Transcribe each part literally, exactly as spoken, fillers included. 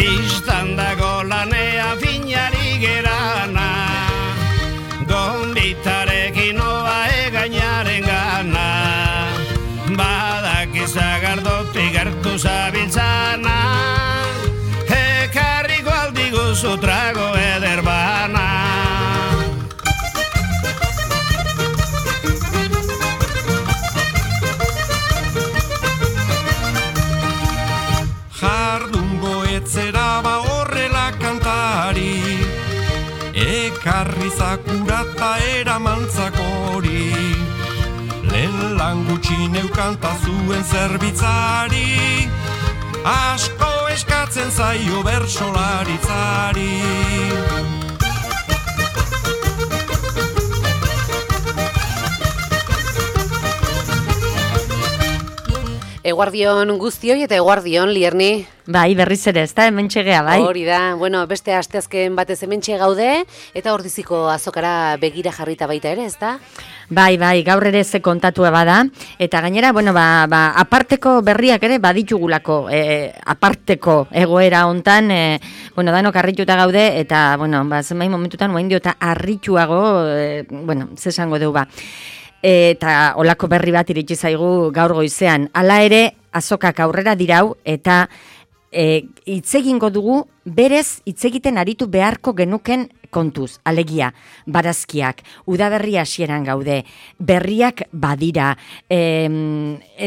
Bistan dago lanea finari gerana, gombitarekin oa egainaren gana, badak izagardotik gertu zabiltzana, ekarriko aldiguzu trago eder bana. Etzera ba horrela kantari, ekarri zakurata eramantzakori, lehen lan gutxi neukanta zuen zerbitzari, asko eskatzen zaio bersolaritzari. Eguardion guztioi eta eguardion, Lierni. Bai, berriz ere, ez da, hemen txegea, bai. Hori da, bueno, beste asteazken batez hemen gaude, eta ordiziko azokara begira jarrita baita ere, ez da? Bai, bai, gaur ere ze kontatua bada, eta gainera, bueno, ba, ba, aparteko berriak ere baditugulako, e, aparteko egoera hontan, e, bueno, danok harrituta gaude, eta, bueno, ba, zenbait momentutan, oain dio eta harrituago, e, bueno, zesango deu ba. Eta olako berri bat iritsi zaigu gaur goizean. Hala ere, azokak aurrera dirau eta e, hitzegingo dugu berez hitzegiten aritu beharko genuken kontuz. Alegia, barazkiak, udaberri hasieran gaude, berriak badira, e,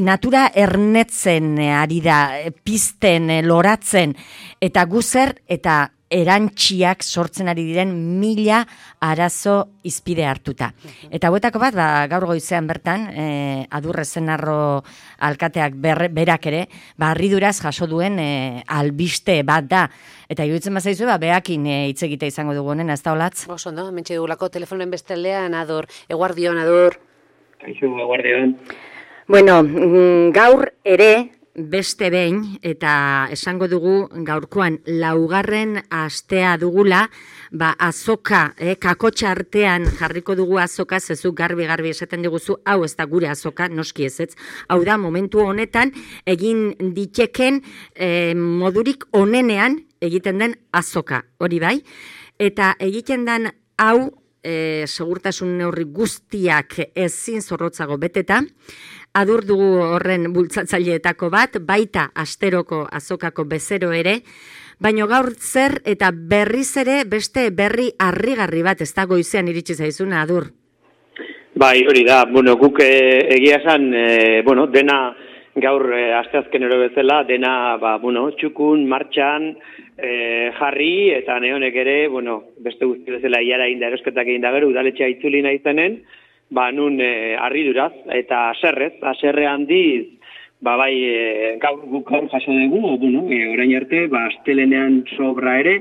natura ernetzen ari da, pizten, loratzen, eta guzer eta erantxiak sortzen ari diren mila arazo izpide hartuta. Eta hauetako bat, ba, gaur goizean bertan, e, Adurre Zenarro alkateak ber, berak ere, ba, harriduraz jaso duen e, albiste bat da. Eta iruditzen bazaizu, ba, beakin hitz e, egite izango dugu honen, ez da olatz? Oso, no? Mentxe dugulako telefonen bestaldean, Ador. Eguardion, Ador. Kaixo, eguardion. Bueno, gaur ere, beste behin, eta esango dugu gaurkoan laugarren astea dugula, ba azoka, eh, kakotxa artean jarriko dugu azoka, zezuk garbi-garbi esaten diguzu, hau ez da gure azoka, noski ezetz, hau da momentu honetan egin diteken eh, modurik onenean egiten den azoka, hori bai, eta egiten den hau, eh, segurtasun neurri guztiak ezin zorrotzago beteta, Adur dugu horren bultzatzaileetako bat, baita asteroko azokako bezero ere, baino gaur zer eta berriz ere beste berri harrigarri bat ez da goizean iritsi zaizuna, Adur. Bai, hori da, bueno, guk e, egia esan, e, bueno, dena gaur e, asteazkenero bezala, dena, ba, bueno, txukun, martxan, e, jarri, eta neonek ere, bueno, beste guzti bezala iara inda erosketak egin da gero, udaletxea itzuli nahi zenen, ba, nun e, harriduraz, eta aserrez, aserre handiz, ba, bai, e, gaur guk gaur jaso dugu, bueno, e, orain arte, ba, astelenean sobra ere,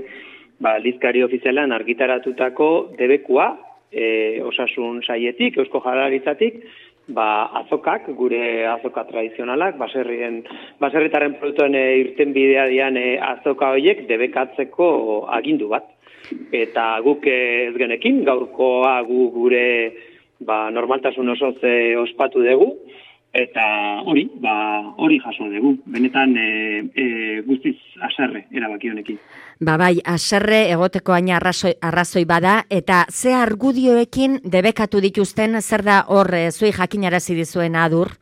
ba, aldizkari ofizialan argitaratutako debekua, e, osasun saietik, eusko jaurlaritzatik, ba, azokak, gure azoka tradizionalak, baserrien, baserritaren produktuen e, irten bidea dian e, azoka horiek debekatzeko agindu bat. Eta guk e, ez genekin, gaurkoa gu gure ba, normaltasun osoz e, ospatu dugu, eta hori, ba, hori jaso dugu. Benetan e, e, guztiz aserre erabaki honekin. Ba bai, aserre egoteko aina arrazoi, arrazoi bada, eta ze argudioekin debekatu dituzten, zer da hor e, zui jakinarazi dizuen, Adur?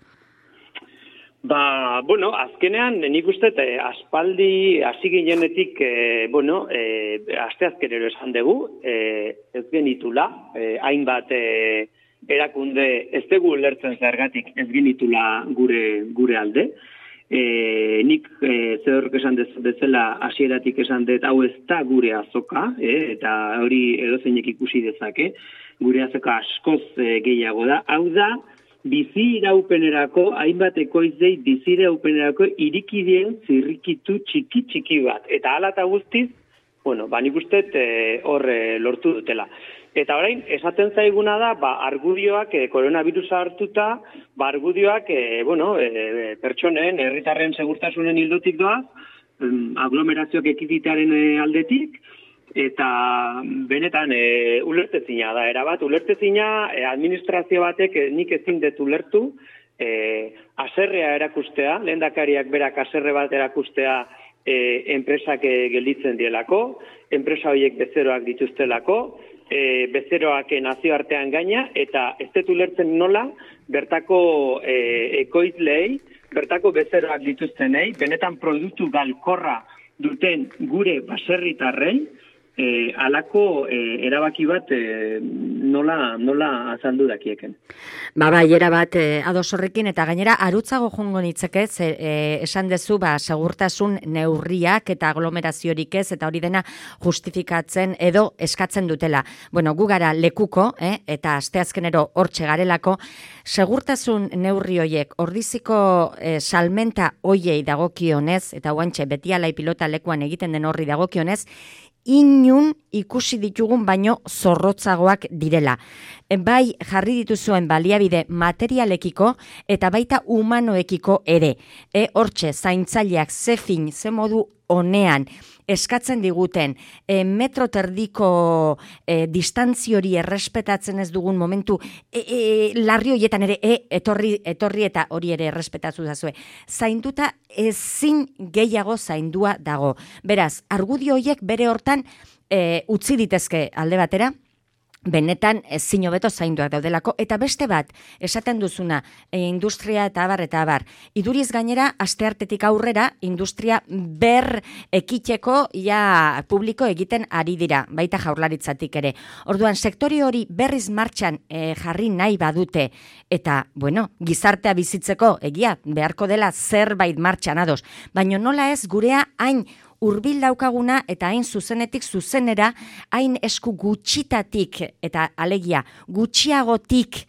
Ba, bueno, azkenean nik uste e, aspaldi hasi ginenetik, e, bueno, e, asteazkenero esan dugu, e, ez genitula, e, hainbat e, erakunde ez dugu lertzen zergatik ez genitula gure gure alde. E, nik e, zerrok esan dezela hasieratik esan dut hau ez da gure azoka, e, eta hori edozeinek ikusi dezake, gure azoka askoz e, gehiago da. Hau da, bizi iraupenerako, hainbat ekoizei bizi iraupenerako irikideen zirrikitu txiki-txiki bat. Eta hala eta guztiz, bueno, ba nik uste hor e, lortu dutela. Eta orain, esaten zaiguna da, ba, argudioak, e, koronavirusa hartuta, ba, argudioak, e, bueno, e, pertsonen, herritarren segurtasunen hildotik doa, um, aglomerazioak ekiditearen e, aldetik, eta benetan e, ulertezina da, erabat, ulertezina e, administrazio batek e, nik ezin dut ulertu, e, aserrea erakustea, lehendakariak berak aserre bat erakustea, e, enpresak e, gelditzen dielako, enpresa horiek bezeroak dituztelako, e, bezeroak nazioartean gaina, eta ez dut ulertzen nola bertako e, ekoizlei, bertako bezeroak dituztenei, benetan produktu galkorra duten gure baserritarrei, E, alako e, erabaki bat e, nola, nola azaldu dakieken. Ba, bai, erabat e, ados horrekin, eta gainera arutzago jongo nitzeke, e, esan dezu, ba, segurtasun neurriak eta aglomeraziorik ez, eta hori dena justifikatzen edo eskatzen dutela. Bueno, gu gara lekuko, eh, eta asteazkenero hortxe garelako, segurtasun neurri hoiek, ordiziko e, salmenta hoiei dagokionez, eta guantxe betialai pilota lekuan egiten den horri dagokionez, inun ikusi ditugun baino zorrotzagoak direla. Bai jarri dituzuen baliabide materialekiko eta baita humanoekiko ere. E, hortxe, zaintzaileak ze fin, ze modu honean eskatzen diguten e, metro terdiko e, distantzio hori errespetatzen ez dugun momentu e, e, larri horietan ere e, etorri, etorri eta hori ere errespetatu dazue. Zainduta ezin gehiago zaindua dago. Beraz, argudio horiek bere hortan e, utzi ditezke alde batera, benetan ezin hobeto zainduak daudelako, eta beste bat, esaten duzuna, e, industria eta abar eta abar. Iduriz gainera, asteartetik aurrera, industria ber ekiteko ja publiko egiten ari dira, baita jaurlaritzatik ere. Orduan, sektori hori berriz martxan e, jarri nahi badute, eta, bueno, gizartea bizitzeko, egia, beharko dela zerbait martxan ados, baina nola ez gurea hain hurbil daukaguna eta hain zuzenetik zuzenera, hain esku gutxitatik eta alegia gutxiagotik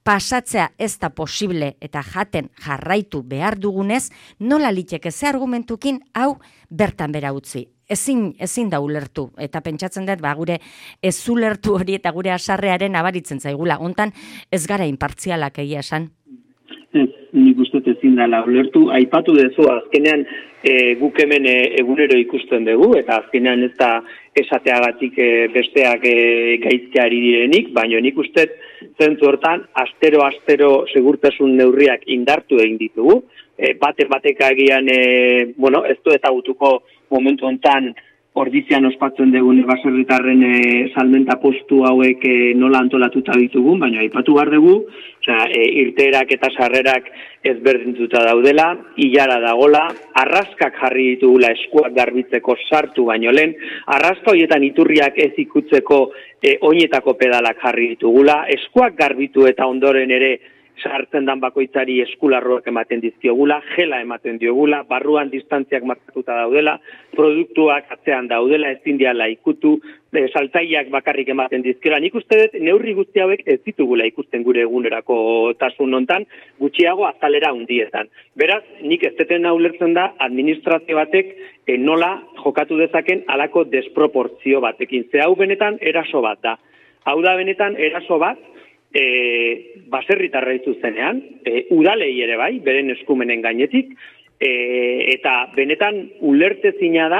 pasatzea ez da posible eta jaten jarraitu behar dugunez, nola liteke ze argumentukin hau bertan bera utzi. Ezin, ezin da ulertu, eta pentsatzen dut, ba, gure ez ulertu hori eta gure asarrearen abaritzen zaigula. Hontan ez gara inpartzialak egia esan. Ez, nik uste ezin dela ulertu. Aipatu dezu, azkenean e, guk hemen e, egunero ikusten dugu, eta azkenean ez da esateagatik e, besteak e, gaizteari direnik, baina nik uste zentzu hortan, astero-astero segurtasun neurriak indartu egin ditugu. E, bate bateka egian, e, bueno, ez du ezagutuko momentu hontan ordizian ospatzen dugun baserritarren e, salmenta postu hauek e, nola antolatuta ditugun, baina aipatu behar dugu, osea, e, irteerak eta sarrerak ezberdintuta daudela, ilara dagola, arraskak jarri ditugula eskuak garbitzeko sartu baino lehen, arraska horietan iturriak ez ikutzeko e, oinetako pedalak jarri ditugula, eskuak garbitu eta ondoren ere sartzen dan bakoitzari eskularroak ematen dizkiogula, gela ematen diogula, barruan distantziak markatuta daudela, produktuak atzean daudela, ezin diala ikutu, e, saltzaileak bakarrik ematen dizkiola. Nik uste dut neurri guzti hauek ez ditugula ikusten gure egunerako tasun hontan, gutxiago azalera hundietan. Beraz, nik ez deten ulertzen da administrazio batek e, nola jokatu dezaken halako desproportzio batekin. Ze hau benetan eraso bat da. Hau da benetan eraso bat, E, baserritarra zuzenean, e, udalei ere bai, beren eskumenen gainetik, e, eta benetan ulertezina da,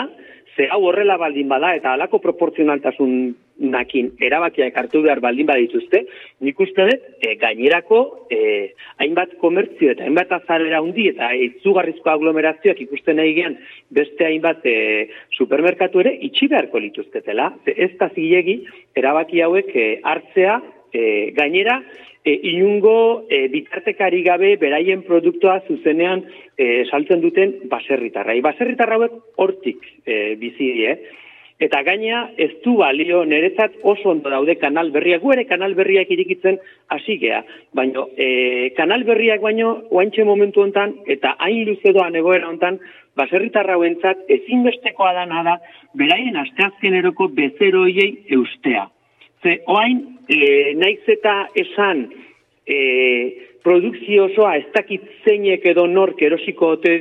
ze hau horrela baldin bada, eta halako proportzionaltasunakin erabakiak hartu behar baldin badituzte, nik uste dut, e, gainerako e, hainbat komertzio eta hainbat azalera hundi, eta izugarrizko aglomerazioak ikusten nahi gean, beste hainbat e, supermerkatu ere itxi beharko lituzketela, ez da zilegi erabaki hauek e, hartzea, E, gainera, e, inungo e, bitartekari gabe beraien produktua zuzenean e, saltzen duten baserritarra. Baserritarra hauek hortik e, bizi die. Eta gaina ez du balio niretzat oso ondo daude kanal berriak, gu ere kanal berriak irikitzen hasi gea. Baina e, kanal berriak baino oaintxe momentu hontan eta hain luze doan egoera hontan baserritarra hauentzat ezinbestekoa dana da beraien asteazkeneroko bezeroiei eustea. Ze oain, e, naiz eta esan e, produkzio osoa ez dakit zeinek edo nork erosiko ote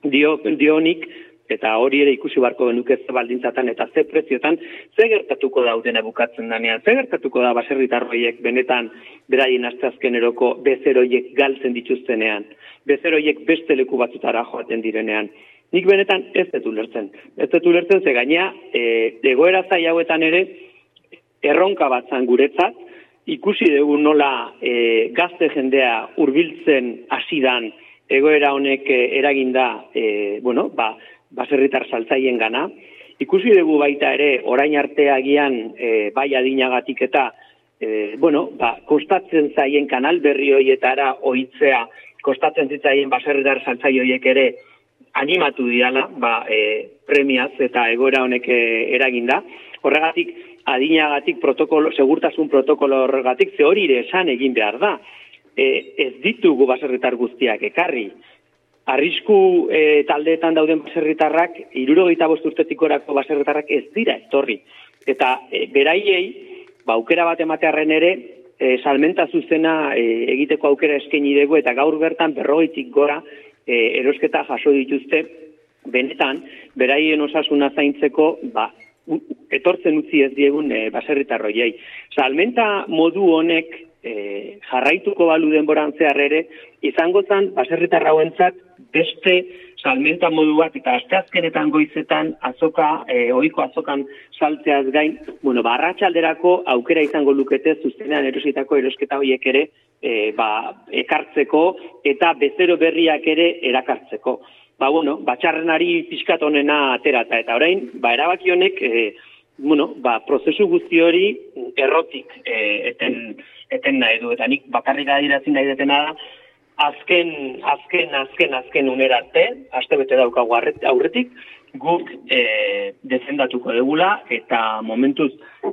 dio, dionik, eta hori ere ikusi barko genuke ze baldintzatan eta ze preziotan, ze gertatuko daudena bukatzen danean, ze gertatuko da baserritarroiek benetan beraien asteazkeneroko bezeroiek galtzen dituztenean, bezeroiek beste leku batzutara joaten direnean. Nik benetan ez dut ulertzen. Ez dut ulertzen ze gainea, e, egoera zai hauetan ere, erronka bat zan guretzat, ikusi dugu nola e, gazte jendea hurbiltzen hasidan egoera honek e, eraginda, e, bueno, ba, baserritar saltzaien gana. Ikusi dugu baita ere, orain arte agian e, bai adinagatik eta e, bueno, ba, kostatzen zaien kanal berri horietara ohitzea, kostatzen zitzaien baserritar saltzai horiek ere animatu diala, ba, e, premiaz eta egoera honek e, eraginda. Horregatik, adinagatik protokolo, segurtasun protokolo horregatik, ze hori ere esan egin behar da. E, ez ditugu baserritar guztiak ekarri. Arrisku e, taldeetan dauden baserritarrak, hirurogeita bost urtetik gorako baserritarrak ez dira etorri. Eta e, beraiei, ba, aukera bat ematearren ere, e, salmenta zuzena e, egiteko aukera eskaini dugu, eta gaur bertan berrogeitik gora e, erosketa jaso dituzte, benetan, beraien osasuna zaintzeko, ba, etortzen utzi ez diegun e, baserritarroiei. Salmenta modu honek e, jarraituko balu denboran zehar ere, izango zen baserritar hauentzat beste salmenta modu bat, eta asteazkenetan goizetan azoka, e, ohiko azokan saltzeaz gain, bueno, ba, arratsalderako aukera izango lukete zuzenean erositako erosketa horiek ere e, ba, ekartzeko eta bezero berriak ere erakartzeko. Ba, bueno, batxarrenari pixkat honena aterata, eta orain, ba, erabaki honek, e, bueno, ba, prozesu guzti hori errotik e, eten, eten nahi du, eta nik bakarrik adierazin nahi detena da, azken, azken, azken, azken unerarte, aste bete daukagu aurretik, guk e, defendatuko degula, eta momentuz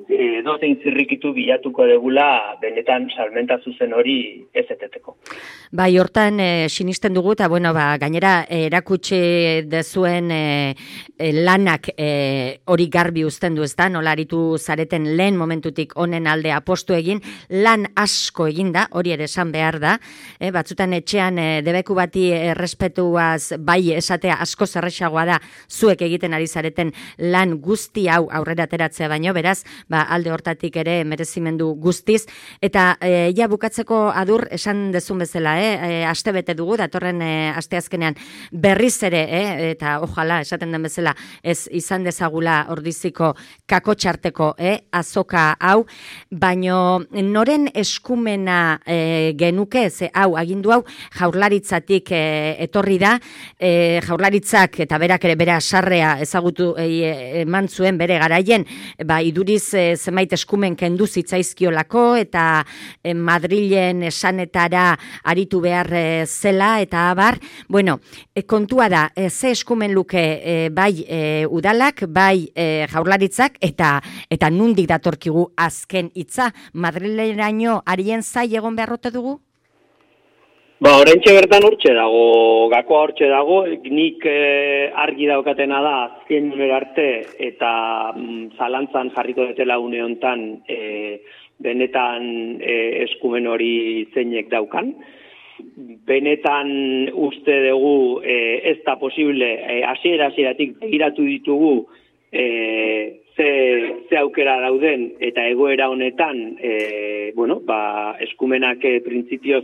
e, dozein zirrikitu bilatuko degula benetan salmenta zuzen hori ez eteteko. Bai, hortan e, sinisten dugu, eta bueno, ba, gainera e, erakutsi dezuen e, e, lanak e, hori garbi uzten du, ez da, nola aritu zareten lehen momentutik honen alde apostu egin, lan asko egin da, hori ere esan behar da, e, batzutan etxean e, debeku bati errespetuaz bai esatea asko zerrexagoa da, zuek egiten ari zareten lan guzti hau aurrera ateratzea baino, beraz, ba, alde hortatik ere merezimendu guztiz, eta e, ja bukatzeko adur esan dezun bezala, eh? E, aste bete dugu, datorren e, asteazkenean berriz ere, eh? Eta ojala, esaten den bezala, ez izan dezagula ordiziko kakotxarteko eh? azoka hau, baino noren eskumena e, genuke, ze hau, agindu hau, jaurlaritzatik e, etorri da, e, jaurlaritzak eta berak ere bera sarrea ezagutu eman zuen bere garaien, ba, iduriz e, zenbait eskumen kendu zitzaizkiolako eta e, Madrilen esanetara aritu behar e, zela eta abar, bueno, e, kontua da, e, ze eskumen luke e, bai e, udalak, bai e, jaurlaritzak eta eta nundik datorkigu azken hitza, Madrileraino arien zai egon beharrote dugu? Ba, oraintxe bertan hortxe dago, gakoa hortxe dago, nik eh, argi daukatena da azken unera arte eta mm, zalantzan jarriko detela une hontan eh, benetan eh, eskumen hori zeinek daukan. Benetan uste dugu eh, ez da posible, eh, hasiera hasieratik begiratu ditugu eh, ze, ze aukera dauden eta egoera honetan eh, bueno, ba, eskumenak eh, printzipioz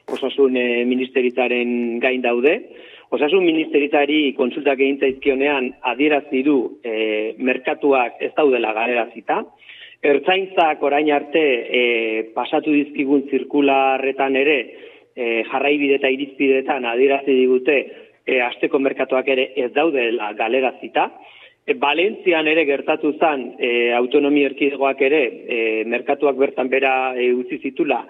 Osasun e, ministeritzaren gain daude. Osasun ministeritzari kontsultak egin zaizkionean adierazi du e, merkatuak ez daudela galerazita. Ertzaintzak orain arte e, pasatu dizkigun zirkularretan ere e, jarraibide eta irizpideetan adierazi digute e, asteko merkatuak ere ez daudela galerazita. E, Valentzian ere gertatu zen e, autonomia erkidegoak ere e, merkatuak bertan bera e, utzi zitula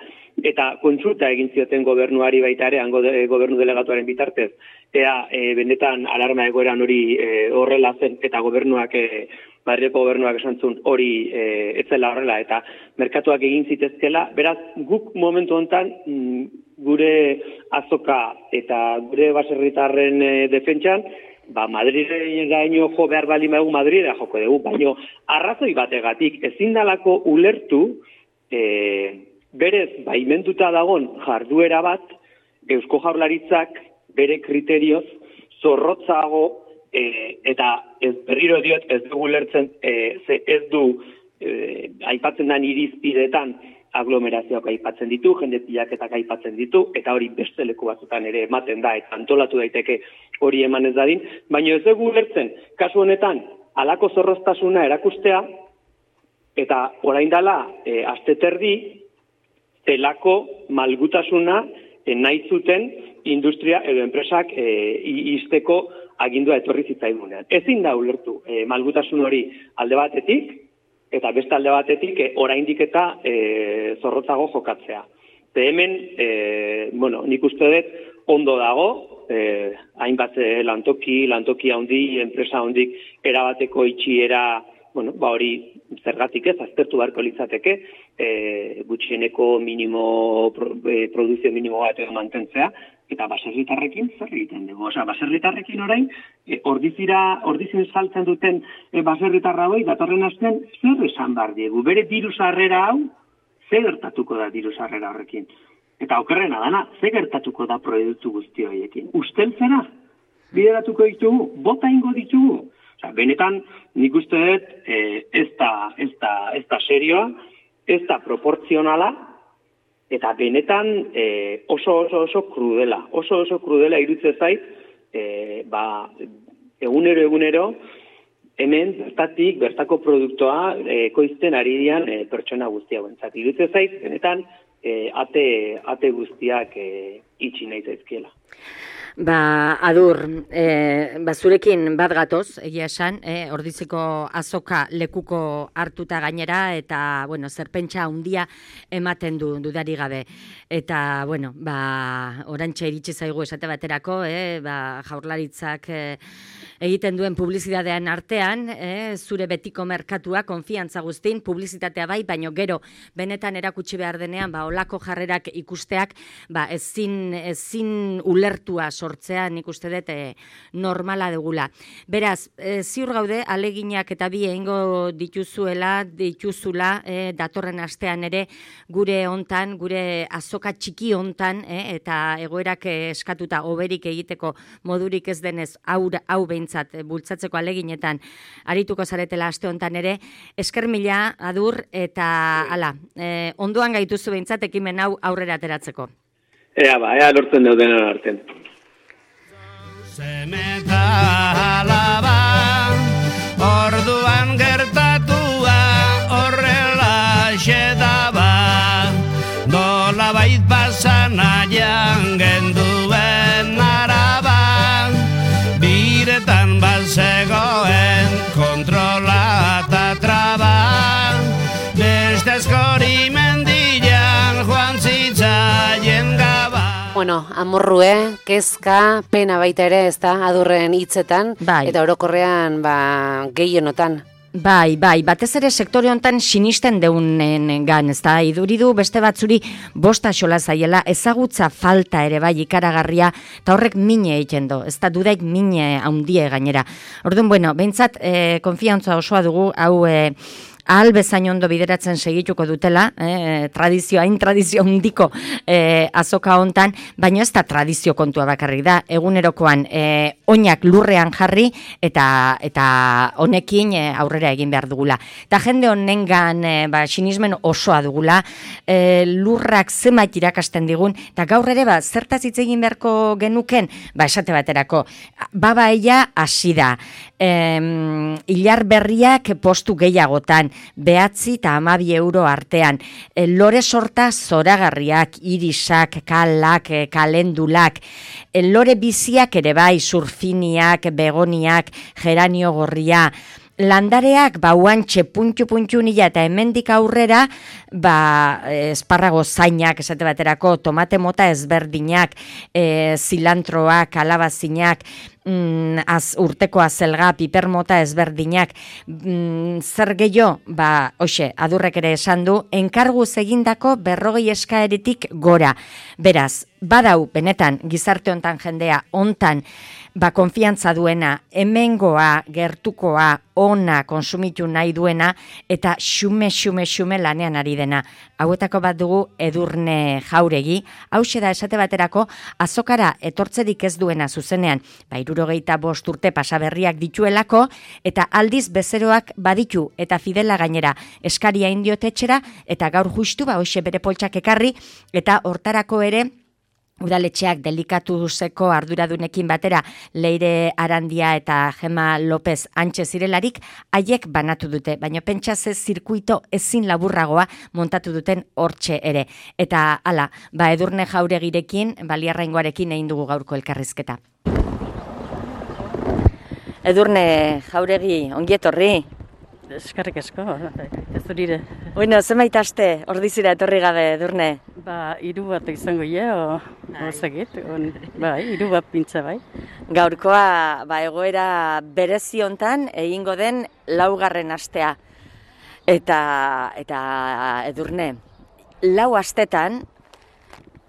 eta kontsulta egin zioten gobernuari baita ere, hango de, gobernu delegatuaren bitartez, ea e, benetan alarma egoeran hori e, horrela zen, eta gobernuak, e, Madrileko gobernuak esan zuen hori e, etzela horrela, eta merkatuak egin zitezkela, beraz, guk momentu honetan mm, gure azoka eta gure baserritarren e, defentsan, ba, Madrileraino jo behar baldin badugu Madrilera joko dugu, baino arrazoi bategatik ezin dalako ulertu e, berez baimenduta dagon jarduera bat Eusko Jaurlaritzak bere kriterioz zorrotzago e, eta ez berriro diot ez dugu lertzen e, ze ez du e, aipatzen den irizpideetan aglomerazioak aipatzen ditu, jende pilaketak aipatzen ditu, eta hori beste leku batzutan ere ematen da, eta antolatu daiteke hori eman ez dadin, baina ez dugu lertzen, kasu honetan, halako zorroztasuna erakustea, eta orain dela e, aste terdi, zelako malgutasuna e, nahi zuten industria edo enpresak e, izteko agindua etorri zitzaigunean. Ezin da ulertu e, malgutasun hori alde batetik, eta beste alde batetik e, oraindik eta e, zorrotzago jokatzea. Ze hemen, e, bueno, nik uste dut ondo dago, eh, hainbat eh, lantoki, lantoki handi, enpresa handik erabateko itxiera, bueno, ba hori zergatik ez, aztertu beharko litzateke, eh, gutxieneko minimo, pro, eh, produzio minimo bat edo mantentzea, eta baserritarrekin zer egiten dugu. Osea, baserritarrekin orain, e, ordizira, ordizin saltzen duten e, baserritarra hoi, datorren astean, zer esan behar diegu? Bere diru sarrera hau, zer gertatuko da diru sarrera horrekin? Eta okerrena dana, zer gertatuko da proiektu guzti horiekin? Usteltzera? Bideratuko ditugu? Bota ingo ditugu? Osea, benetan, nik uste dut, e, ez da, ez da, ez da serioa, ez da proportzionala, eta benetan e, oso oso oso krudela, oso oso krudela iruditzen zait, e, ba, egunero egunero, hemen bertatik, bertako produktoa e, ekoizten ari dian e, pertsona guztia guentzat. Iruditzen zait, benetan, e, ate, ate guztiak e, itxi nahi zaizkiela. Ba, Adur, e, ba, zurekin bat gatoz, egia esan, e, Ordiziko azoka lekuko hartuta gainera, eta, bueno, zerpentsa handia ematen du dudari gabe. Eta, bueno, ba, orantxe iritsi zaigu esate baterako, e, ba, Jaurlaritzak e, egiten duen publizitatean artean, e, zure betiko merkatua, konfiantza guztin, publizitatea bai, baino gero, benetan erakutsi behar denean, ba, olako jarrerak ikusteak, ba, ezin, ezin ulertua sortzea, nik uste dut e, normala dugula. Beraz, e, ziur gaude, aleginak eta bi egingo dituzuela, dituzula, e, datorren astean ere, gure hontan, gure azoka txiki hontan, e, eta egoerak eskatuta oberik egiteko modurik ez denez, hau, hau behintzat, e, bultzatzeko aleginetan, arituko zaretela aste hontan ere, esker mila, Adur, eta ala, e, ondoan gaituzu behintzat ekimen hau aurrera ateratzeko. Ea ba, ea lortzen deuden artean. Zemeta alaba, orduan gertatua horrela xedaba, dola bait pasanaian genduen araba, biretan bazegoen kontrola eta traba, beste askori mendian joan zitzaien gaba. Bueno, amorrue, kezka, pena baita ere, ez da, Adurren hitzetan, bai. Eta orokorrean, ba, gehienotan. Bai, bai, batez ere sektore hontan sinisten deunen gan, ez da, iduridu beste batzuri bosta xola zaiela, ezagutza falta ere bai ikaragarria, eta horrek mine egiten do, ez da, dudaik mine haundie gainera. Orduan, bueno, behintzat, eh, konfiantza osoa dugu, hau... Eh, ahal bezain ondo bideratzen segituko dutela, eh, tradizio, hain tradizio handiko eh, azoka hontan, baina ez da tradizio kontua bakarrik da, egunerokoan eh, oinak lurrean jarri eta eta honekin eh, aurrera egin behar dugula. Eta jende honengan eh, ba, sinismen osoa dugula, eh, lurrak zenbait irakasten digun, eta gaur ere ba, zertaz hitz egin beharko genuken, ba esate baterako, baba ella hasi da, eh, hilar berriak postu gehiagotan, behatzi eta hamabi euro artean. E, lore sorta zoragarriak, irisak, kalak, e, kalendulak, e, lore biziak ere bai, surfiniak, begoniak, geranio gorria, landareak bauantxe puntu-puntu nila eta hemendik aurrera ba, esparrago zainak esate baterako, tomate mota ezberdinak, e, zilantroak, kalabazinak, mm, az, urteko azelga, piper mota ezberdinak, mm, zer gehiago, ba, hoxe, Adurrek ere esan du, enkarguz egindako berrogei eskaeretik gora. Beraz, badau, benetan, gizarte hontan jendea, hontan, ba, konfiantza duena, hemengoa, gertukoa, ona konsumitu nahi duena, eta xume, xume, xume lanean ari dena. Hauetako bat dugu Edurne Jauregi, hauxe da esate baterako, azokara etortzerik ez duena zuzenean, ba, hirurogeita bost urte pasaberriak dituelako, eta aldiz bezeroak baditu, eta fidela gainera, eskaria indiotetxera, eta gaur justu, ba, hoxe bere poltsak ekarri, eta hortarako ere, udaletxeak delikatuzeko arduradunekin batera Leire Arandia eta Gema López antxe zirelarik haiek banatu dute, baina pentsa ze zirkuito ezin laburragoa montatu duten hortxe ere. Eta hala, ba Edurne Jauregirekin, Baliarraingoarekin egin dugu gaurko elkarrizketa. Edurne Jauregi, ongi etorri. Eskerrik asko, ez zurire. Bueno, zenbait aste ordizira etorri gabe, Edurne? Ba, hiru bat izango ie, o, o zegit, on, bai, hiru bat pintza bai. Gaurkoa, ba, egoera berezi hontan egingo den laugarren astea. Eta, eta Edurne, lau astetan,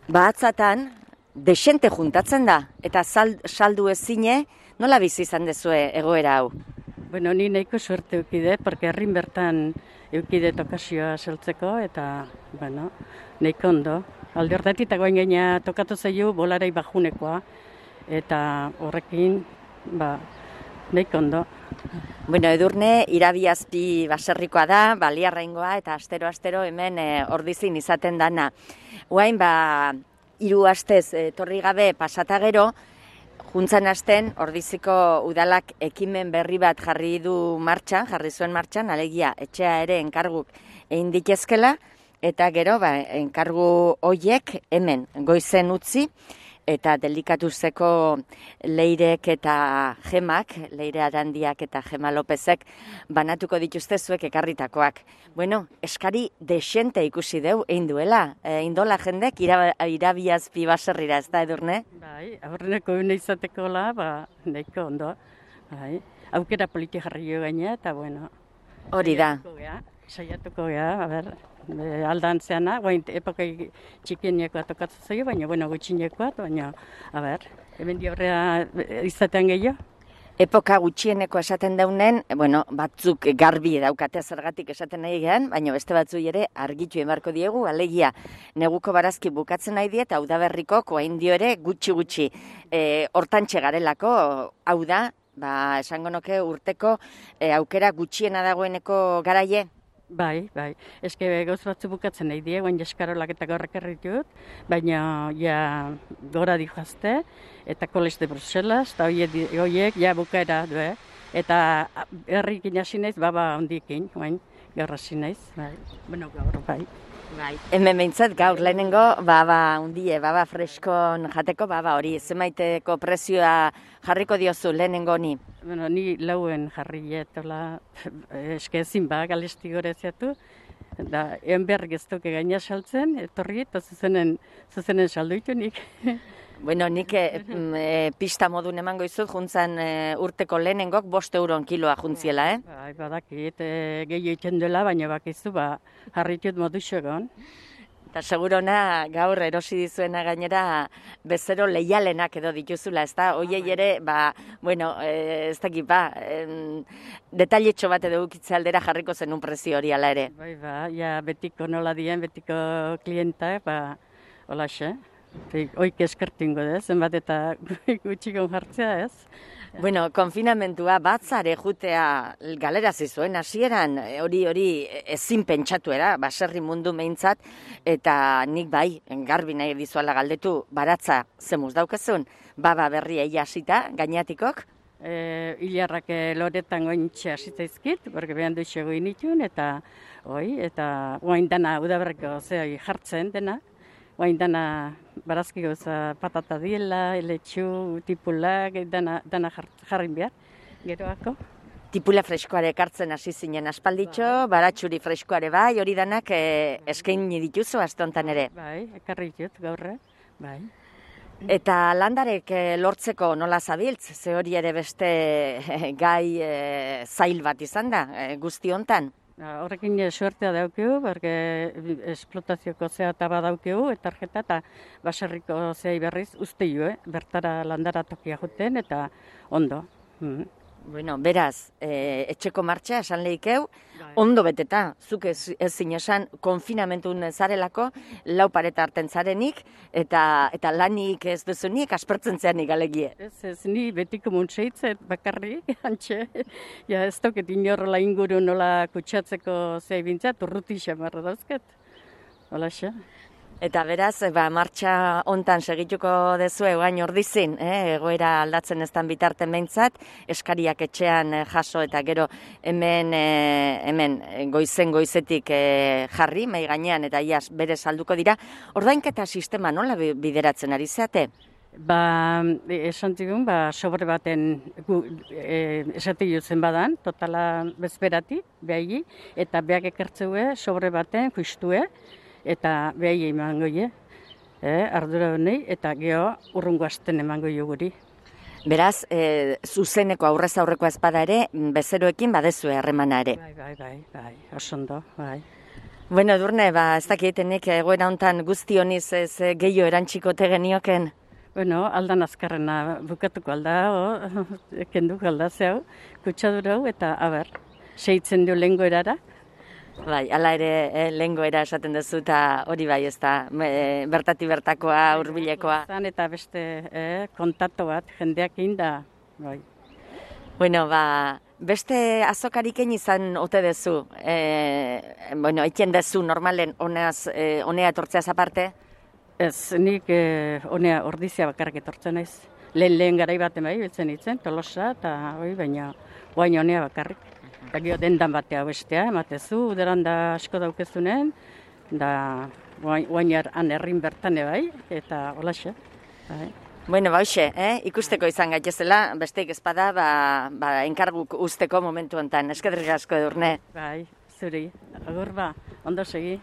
bahatzatan, desente juntatzen da, eta saldu ezine, nola bizi izan dezue egoera hau? Bueno, ni nahiko suerte eukide, porque herrin bertan eukide tokasioa saltzeko, eta, bueno, nahiko ondo. Alde horretik eta goain gaina tokatu zaio bolarei bajunekoa, eta horrekin, ba, nahiko ondo. Bueno, Edurne, Irabiazpi baserrikoa da, baliarraingoa, eta astero-astero hemen e, ordizin izaten dana. Oain, ba, hiru astez etorri gabe pasata gero, juntzan hasten, Ordiziko udalak ekimen berri bat jarri du martxan, jarri zuen martxan, alegia etxea ere enkarguk egin ditezkela, eta gero ba, enkargu hoiek hemen goizen utzi, eta delikatuzeko Leirek eta Gemak, Leire Arandiak eta Gema Lopezek banatuko dituzte zuek ekarritakoak. Bueno, eskari desente ikusi deu, egin duela, egin dola jendek Irabiazpi baserrira, ez da, Edurne? Bai, aurreneko une izatekola, ba, nahiko ondo. Bai, aukera politi jarri jo gaina, eta bueno. Hori da. Saiatuko gea, a ber, aldantzeana, guain epokai txikienekoa tokatzen zaio, baina, bueno, gutxinekoa, baina, a ber, hemen diaurrea izatean gehiago. Epoka gutxieneko esaten daunen, bueno, batzuk garbi daukate zergatik esaten nahi gehan, baina beste batzuk ere argitu emarko diegu, alegia, neguko barazki bukatzen nahi die, eta udaberriko koain dio ere gutxi-gutxi e, hortantxe garelako, hau da, ba, esango noke urteko e, aukera gutxiena dagoeneko garaie. Bai, bai. Eske gauz batzu bukatzen nahi die, guain eskarolak eta gorrek erritut, baina ja gora dihoazte, eta College de Bruselas, eta horiek ja bukaera du, eh? Eta herrikin hasi naiz, baba hondikin, guain, gaur hasi naiz, bai. Bueno, gaur, bai. Bai. Hemen behintzat gaur lehenengo baba hundie, baba freskon jateko, baba hori, zemaiteko prezioa jarriko diozu lehenengo ni? Bueno, ni lauen jarri etola, eske ezin ba, galesti goreziatu, da, ean behar geztoke gaina saltzen, etorri, eta zuzenen, zuzenen salduitu nik. Bueno, nik e, pista modun emango izut, juntzan e, urteko lehenengok bost euron kiloa juntziela, eh? Bai, badakit, e, gehi egiten dela, baina bakizu, ba, jarritut modu xogon. Eta segurona gaur erosi dizuena gainera bezero leialenak edo dituzula, ez da? Oiei ere, ba, bueno, e, ez dakit, ba, e, detailetxo bat edo ukitze aldera jarriko zenun prezio hori ala ere. Bai, ba, ja, betiko nola dien, betiko klienta, ba, hola xe. Oik eskertingo da, zenbat eta gutxikon jartzea, ez? Bueno, konfinamentua batzare jutea galerazi zuen hasieran, hori hori ezin pentsatu era, baserri mundu meintzat, eta nik bai, garbi nahi dizuala galdetu, baratza zemuz daukezun, baba berria hasita gainatikok? E, Ilarrak loretan gointxe hasitaizkit, porque behan duxego initun, eta oi, eta oain dana udaberreko zehoi jartzen dena, oain dana barazki gauza patata diela, eletxu, tipulak, dana, dana jarrin behar, geroako. Tipula freskoare ekartzen hasi zinen aspalditxo, bai. Baratxuri freskoare bai, hori danak e, eskaini dituzu astontan ere. Bai, ekarri ditut gaurre, bai. Eta landarek e, lortzeko nola zabiltz, ze hori ere beste e, gai e, zail bat izan da, e, guzti hontan? Horrekin suertea daukeu, berge esplotazioko zea eta badaukeu, eta tarjeta eta baserriko zei berriz usteio, eh? Bertara landara tokia juten, eta ondo. Mm. Bueno, beraz, e, etxeko martxa esan lehikeu, ondo beteta, zuk ez, ez zinesan konfinamentun zarelako, lau pareta hartzen zarenik, eta, eta lanik ez duzunik, aspertzen zeanik alegie. Ez, ez, ni betiko muntseitzet bakarri, antxe, ja ez toket inorrola inguru nola kutsatzeko zei bintzat, urruti xamarra dauzket, hola xa. Eta beraz, ba, martxa hontan segituko dezue guain ordizin, eh? Egoera aldatzen eztan bitarten behintzat, eskariak etxean eh, jaso eta gero hemen, eh, hemen goizen goizetik eh, jarri, mai gainean eta iaz bere salduko dira. Ordainketa sistema nola bideratzen ari zeate? Ba, esan zigun, ba, sobre baten gu, e, esate jutzen badan, totala bezberati, behagi, eta behak ekertzeue, sobre baten justue, eta behagi emango je, eh, ardura honei, eta geho urrungo asten emango jo guri. Beraz, e, zuzeneko aurrez aurreko ezpada ere, bezeroekin badezue harremana ere. Bai, bai, bai, bai, osondo, bai. Bueno, Edurne, ba, ez dakitenik egoera hontan guzti honiz ez gehiago erantxikote genioken? Bueno, aldan azkarrena bukatuko alda, o, kenduko alda zeu, kutsadura hau, eta, aber, seitzen du lehengo erara. Bai, ala ere eh, lehengo era esaten duzu, eta hori bai ez da, e, bertati bertakoa, hurbilekoa. Zan eta beste eh, kontaktu bat, jendeak da, bai. Bueno, ba, beste azokariken izan ote dezu, e, bueno, eken dezu normalen honez, e, honea etortzeaz aparte? Ez, nik eh, honea ordizia bakarrik etortzen naiz. Lehen lehen garai baten bai, biltzen hitzen, Tolosa, eta hoi, baina guain honea bakarrik. Eta gero dendan batea bestea, ematezu, uderan da asko daukezunen, da guain han herrin bertane bai, eta holaxe. Bai. Bueno, ba, hoxe, eh? ikusteko izan gaitezela, besteik ezpada, ba, ba, enkarguk usteko momentu honetan. Eskerrik asko, Edurne. Bai, zuri, agur ba, ondo segi.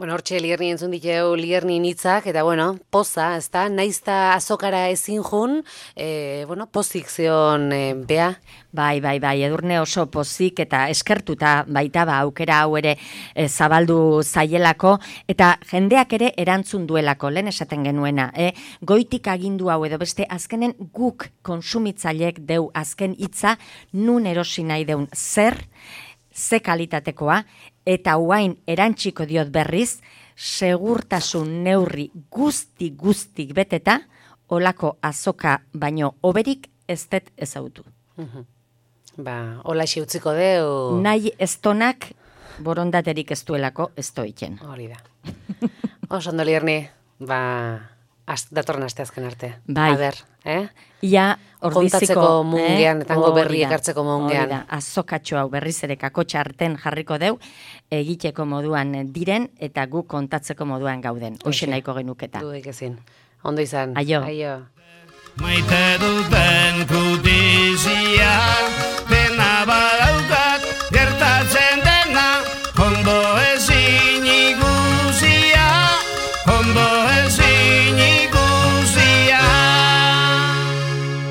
Bueno, hortxe Lierni entzun diteu Lierni hitzak, eta bueno, poza, ez da, naizta azokara ezin jun, e, bueno, pozik zion e, bea. Bai, bai, bai, Edurne oso pozik eta eskertuta baita ba aukera hau ere e, zabaldu zaielako, eta jendeak ere erantzun duelako, lehen esaten genuena, eh? Goitik agindu hau edo beste azkenen guk konsumitzailek deu azken hitza nun erosi nahi deun zer, ze kalitatekoa, eta huain erantxiko diot berriz, segurtasun neurri guzti guztik beteta, olako azoka baino oberik ez dut ezautu. Uhum. Ba, hola utziko deu. Nahi estonak borondaterik ez duelako ez doiken. Hori da. Oso ondo Lierni, ba, az, datorren aste azken arte. Bai. A ber, eh? Ia ordiziko. Kontatzeko mungean, eh? etango Hori berri da, ekartzeko mungean. hori da, azokatxo hau berriz ere kakotxa arten jarriko deu, egiteko moduan diren, eta gu kontatzeko moduan gauden. Hoxe nahiko genuketa. Dudik ezin. Ondo izan. Aio. Aio. Maite duten kutizia, pena bada